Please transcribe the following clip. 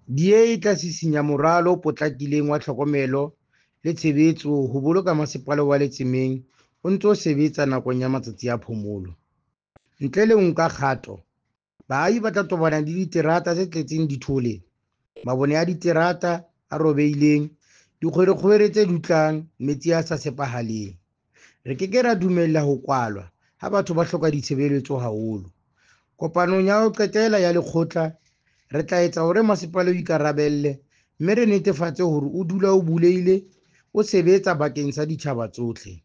DA e tla sisinya moralo o potlakileng wa tlhokomelo le tshebetso ho boloka Masepala wa Letsemeng o ntse o sebetsa nakong ya matsatsi a phomolo. Ntle le ho nka kgato, baahi ba tla tobana le diterata tse tletseng dithole, mabone a diterata a robehileng, dikgwerekgwere tse dutlang, metsi a sa tshepahaleng. Re ke ke ra dumella ho kwalwa ha batho ba hloka ditshebeletso haholo. Kopanong ya ho qetela ya lekgotla, re tla etsa hore masepala o ikarabelle mme re netefatse hore o dula o bulehile o sebetsa bakeng sa ditjhaba tsohle.